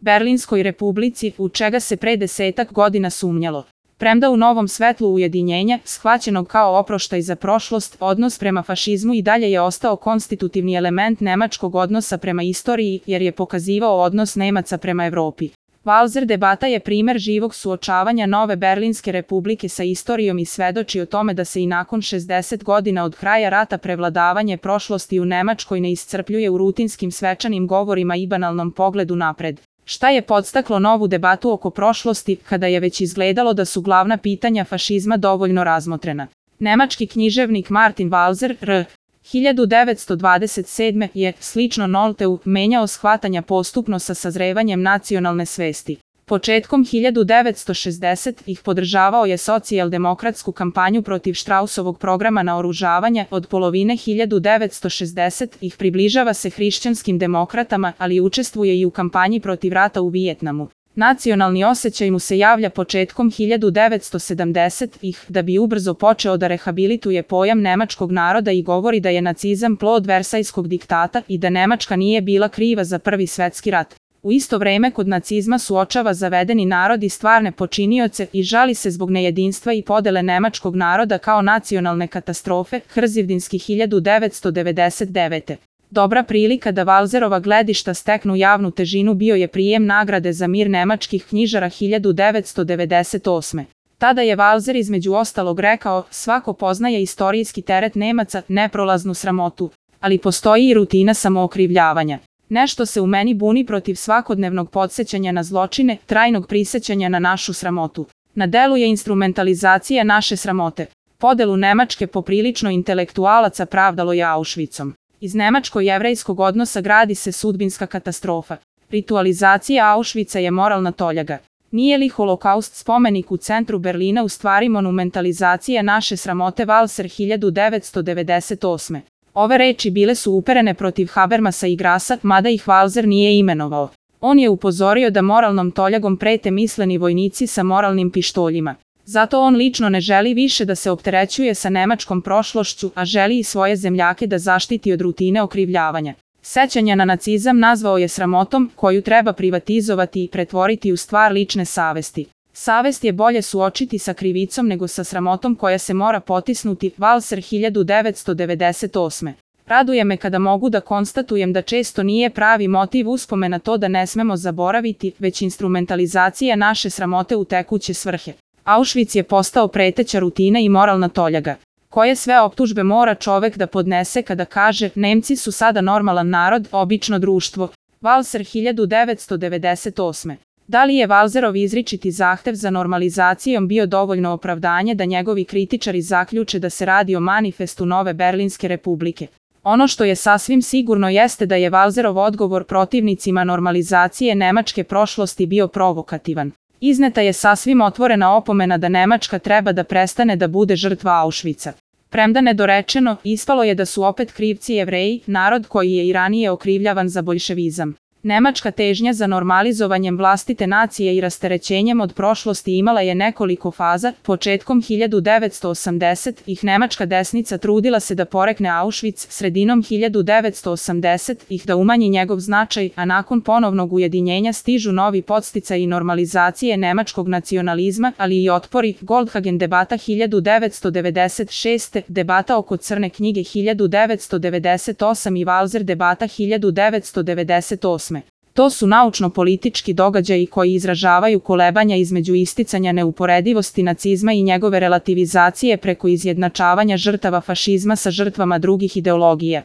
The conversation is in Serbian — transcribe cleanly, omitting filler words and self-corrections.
Berlinskoj republici, u čega se pre 10-ak godina sumnjalo. Premda u novom svetlu ujedinjenja, shvaćenog kao oproštaj za prošlost, odnos prema fašizmu i dalje je ostao konstitutivni element nemačkog odnosa prema istoriji, jer je pokazivao odnos Nemaca prema Evropi. Walser debata je primer živog suočavanja nove Berlinske republike sa istorijom i svedoči o tome da se i nakon 60 godina od kraja rata prevladavanje prošlosti u Nemačkoj ne iscrpljuje u rutinskim svečanim govorima i banalnom pogledu napred. Šta je podstaklo novu debatu oko prošlosti, kada je već izgledalo da su glavna pitanja fašizma dovoljno razmotrena? Nemački književnik Martin Walser, r. 1927. je, slično Nolteu, menjao shvatanja postupno sa sazrevanjem nacionalne svesti. Početkom 1960-ih podržavao je socijaldemokratsku kampanju protiv Štrausovog programa naoružavanja, od polovine 1960-ih približava se hrišćanskim demokratama, ali učestvuje i u kampanji protiv rata u Vijetnamu. Nacionalni osjećaj mu se javlja početkom 1970-ih, da bi ubrzo počeo da rehabilituje pojam nemačkog naroda i govori da je nacizam plod Versajskog diktata i da Nemačka nije bila kriva za Prvi svetski rat. U isto vreme kod nacizma suočava zavedeni narod i stvarne počinioce i žali se zbog nejedinstva i podele nemačkog naroda kao nacionalne katastrofe, Hrzivdinski 1999. Dobra prilika da Walserova gledišta steknu javnu težinu bio je prijem nagrade za mir nemačkih knjižara 1998. Tada je Walser između ostalog rekao: svako poznaje istorijski teret Nemaca, neprolaznu sramotu, ali postoji i rutina samookrivljavanja. Nešto se u meni buni protiv svakodnevnog podsjećanja na zločine, trajnog prisećanja na našu sramotu. Na delu je instrumentalizacija naše sramote. Podelu Nemačke poprilično intelektualaca pravdalo je Auschwitzom. Iz nemačko-jevrejskog odnosa gradi se sudbinska katastrofa. Ritualizacija Auschwitza je moralna toljaga. Nije li holokaust spomenik u centru Berlina u stvari monumentalizacija naše sramote? Walser 1998. Ove reči bile su uperene protiv Habermasa i Grassa, mada ih Walser nije imenovao. On je upozorio da moralnom toljagom prete misleni vojnici sa moralnim pištoljima. Zato on lično ne želi više da se opterećuje sa nemačkom prošlošću, a želi i svoje zemljake da zaštiti od rutine okrivljavanja. Sećanja na nacizam nazvao je sramotom, koju treba privatizovati i pretvoriti u stvar lične savesti. Savest je bolje suočiti sa krivicom nego sa sramotom koja se mora potisnuti. Walser 1998. Raduje me kada mogu da konstatujem da često nije pravi motiv uspomena to da ne smemo zaboraviti, već instrumentalizacija naše sramote u tekuće svrhe. Auschwitz je postao preteća rutina i moralna toljaga. Koje sve optužbe mora čovek da podnese kada kaže: Nemci su sada normalan narod, obično društvo? Walser 1998. Da li je Walserov izričiti zahtev za normalizacijom bio dovoljno opravdanje da njegovi kritičari zaključe da se radi o manifestu nove Berlinske republike? Ono što je sasvim sigurno jeste da je Walserov odgovor protivnicima normalizacije nemačke prošlosti bio provokativan. Izneta je sasvim otvorena opomena da Nemačka treba da prestane da bude žrtva Auschwitza. Premda nedorečeno, ispalo je da su opet krivci Jevreji, narod koji je i ranije okrivljavan za boljševizam. Nemačka težnja za normalizovanjem vlastite nacije i rasterećenjem od prošlosti imala je nekoliko faza. Početkom 1980-ih nemačka desnica trudila se da porekne Auschwitz, sredinom 1980-ih da umanji njegov značaj, a nakon ponovnog ujedinjenja stižu novi podsticaji nemačalizacije nemačkog nacionalizma, ali i otpori. Goldhagen debata 1996, debata oko Crne knjige 1998 i Walser debata 1998. To su naučno-politički događaji koji izražavaju kolebanja između isticanja neuporedivosti nacizma i njegove relativizacije preko izjednačavanja žrtava fašizma sa žrtvama drugih ideologija.